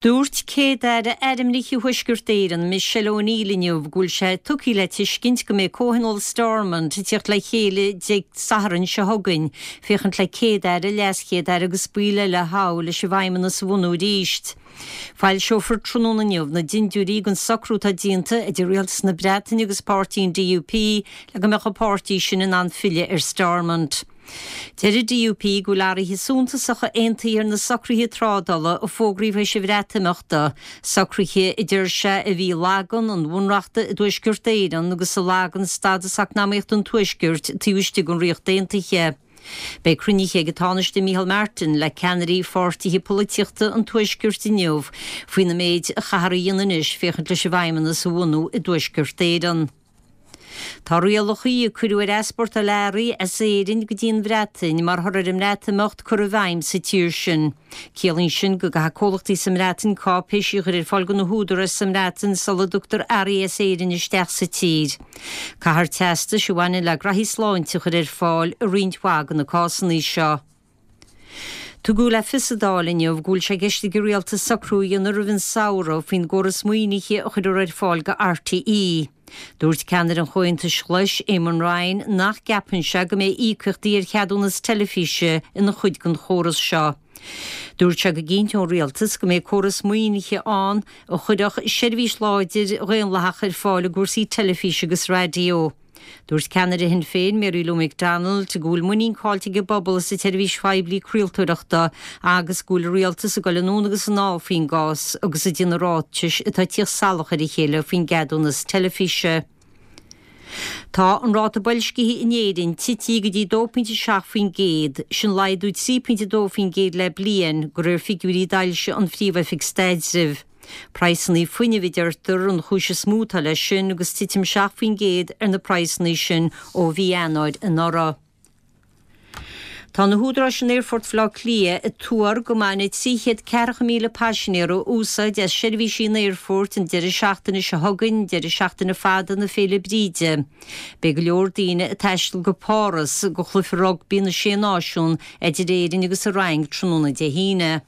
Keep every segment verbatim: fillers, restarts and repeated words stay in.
Dúirt Céad-Aire ainmnithe Thuaisceart Éireann Michelle O'Neill inniu go bhfuil sé tugtha le tuiscint go mbeidh Comhthionól Stormont ag teacht le chéile Dé Sathairn seo chugainn, féachaint le Céad-Aire, LeasChéad-Aire agus baill eile a thoghadh leis an bhFeidhmeannas a bhunú arís. Foilseofar tráthnóna inniu na dindiúirí den socrú atá déanta idir Rialtas na Breataine agus páirtí an DUP le go mbeadh an páirtí sin in ann filleadh ar Stormont. Deir an DUP go bhfuil athruithe suntasacha aontaithe ar na socruithe trádála a fógraíodh théis an Bhreatimeachta, socruithe a deir sé a bhí ag lagan an bhunreachta i dTuaisceart Éireann agus a lagan stádas eacnamaíochta an Tuaiscirt taobh istigh den Ríocht Aontaithe. Beidh cruinnithe ag an Tánaiste Micheál Martin le ceannairí pháirtithe polaitíochta an Tuaiscirt inniu faoina méid a chaithfear a dhéanamh anois féachaint leis an bhFeidhmeannas a bhunú i dTuaisceart Éireann. Tá rialacha a cuireadh ar easpórtáil earraí as Éirinn go dtí an Bhreatain mar thoradh ar an mBreatimeacht curtha i bhfeidhm sa tír sin. Ciallaíonn sin go gcaithfidh comhlachtaí sa mBreatain cáipéisí a chur ar fáil do na húdaráis sa mBreatain sula dtugtar earraí as Éirinn isteach sa tír. Caithfear teastais a bhaineann le graithí sláinte a chur ar fáil i roinnt mhaith de na cásanna seo. Tugadh le fios sa Dáil inniu go bhfuil sé i gceist ag an rialtas socrú a dhéanamh roimh an samhradh faoin gcóras maoinithe a chuirfear ar fáil do RTÉ. Dúirt ceannaire an Chomhaontais Ghlais, Eamon Ryan, nach gceapann sé go mbeidh íocaíochtaí ar cheadúnas teilifíse ina chuid den chóras seo. Dúirt sé go gcinnteodh an rialtas go mbeidh córas maoinithe ann a chuirfeadh seirbhís láidir dhaonlathach ar fáil i gcúrsaí teilifíse agus raidió. Dúirt ceannaire Shinn Féin Mary Lou McDonald go bhfuil muinín caillte ag an bpobal sa tseirbhís phoiblí craoltóireachta agus go bhfuil an rialtas ag dul anonn agus anall faoin gcás agus ag déanamh ráitis atá ag tíocht salach ar a chéile faoin gceadúnas teilifíse. Tá an ráta boilscithe in Éirinn tite go dtí dó pointe seacht faoin gcéad, sin laghdú trí pointe dó faoin gcéad le bliain, de réir figiúirí a d'fhoilsigh an Phríomh-Oifig Staidrimh. Praghsanna fuinnimh a deirtear an chúis is mó atá leis sin agus titim seacht faoin gcéad ar na praghsanna sin ó mhí Eanáir anuraidh. Tá na húdaráis in Aerfort Bhaile Átha Cliath ag tuar go mbainfidh trí chéad ceathracha míle paisinéir úsáid as seirbhísí an aerfoirt an deireadh seachtaine seo chugainn, deireadh seachtaine fada na Féile Bríde. Beidh go leor daoine ag taisteal go Páras do chluiche rugbaí na Sé Náisiún idir Éirinn agus an Fhrainc tráthnóna Dé hAoine.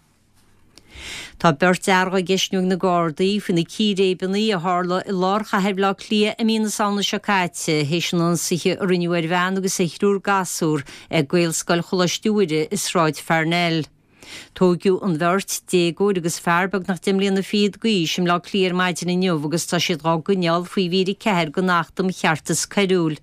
Tá beirt fhear á gceistniú ag na Gardaí faoi na círéibeanna a tharla i lár chathair Bhaile Átha Cliath i mí na Samhna seo caite, théis an ionsaithe a rinneadh ar bhean agus ar thriúr gasúr ag Gaelscoil Choláiste Mhuire i Sráid Pharnell. Tóigeadh an bheirt, déagóir agus fear beagnach deich mbliana fichead d'aois, i mBleá Cliath ar maidin inniu agus tá siad dhá gcoinneáil faoi mhír a ceathair den Acht um Cheartas Coiriúil.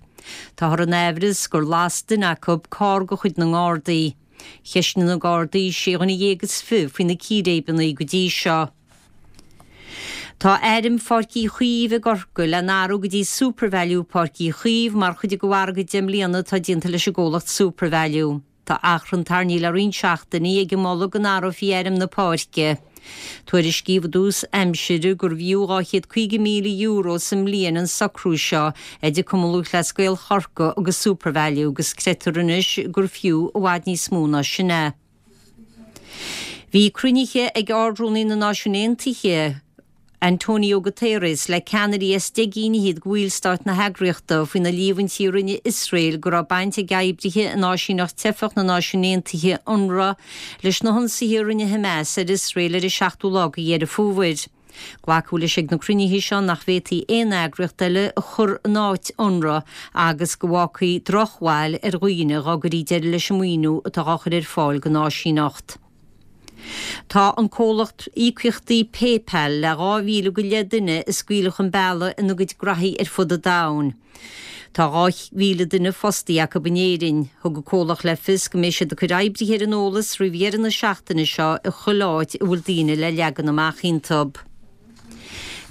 Táthar in aimhreas gur las duine acu carr de chuid na nGardaí. Cheistnigh na Gardaí sé dhuine dhéag is fiche faoi na círéibeanna go dtí seo. Tá ainm Pháirc Uí Chaoimh i gCorcaigh le n-athrú go dtí SuperValu Páirc Uí Chaoimh mar chuid de mhargadh deich mbliana atá déanta leis an gcomhlacht SuperValu. Tá achrann tarraingthe le roinnt seachtainí ag an moladh go n-athrófaí ainm na páirce. Tuairiscíodh i dtús aimsire gurbh fhiú dhá chéad caoga míle euro sa mbliain an socrú seo idir Cumann Lúthchleas Gael Chorcaí agus SuperValu agus creidtear anois gur fiú i bhfad níos mó ná sin é. Bhí cruinnithe ag Ard-Rúnaí na Náisiún Aontaithe, Antonio Guterres le ceannairí as deich gcinn fhichead de bhallstáit na heagraíochta faoi na líomhaintí a rinne Iosrael go raibh baint ag oibrithe in áisíneacht teifeach na Náisiún Aontaithe, Unrwa, leis na hionsaithe a rinne Hamas ar Iosrael ar an seachtú lá de Dheireadh Fómhair. Glacadh leis ag na cruinnithe seo nach bhféadfaí aon eagraíocht eile a chur in áit Unrwa agus go bhfágfaí drochbhail ar dhaoine dá gcuirí deireadh leis an maoiniú atá á chur ar fáil don áisíneacht. Tá an comhlacht íocaíochtaí PayPal le dhá mhíle go leith duine a scaoileadh chun bealaigh ina gcuid graithí ar fud an domhain. Tá dhá mhíle duine fostaithe acu in Éirinn. Thug an comhlacht le fios go mbeidh siad ag cur oibrithe ar an eolas roimh dheireadh na seachtaine seo i chuile áit a bhfuil daoine le leagan amach iontu.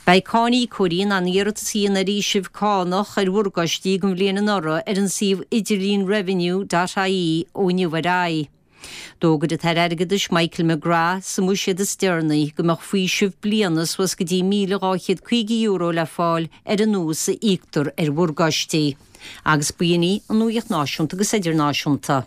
Beidh cáiníocóirí in ann iarratas a dhéanamh ar fhaoiseamh cánach ar mhorgáistí don bhliain anuraidh ar an suíomh idirlín revenue dot ie ó inniu ar aghaidh. D'fhógair an tAire Airgeadais Michael McGrath sa mbuiséad is deireanaí go mbeadh faoiseamh bliana suas go dtí míle dhá chéad caoga euro le fáil ar an ús a íoctar ar mhorgáistí. Agus b'in í an nuacht náisiúnta agus idirnáisiúnta.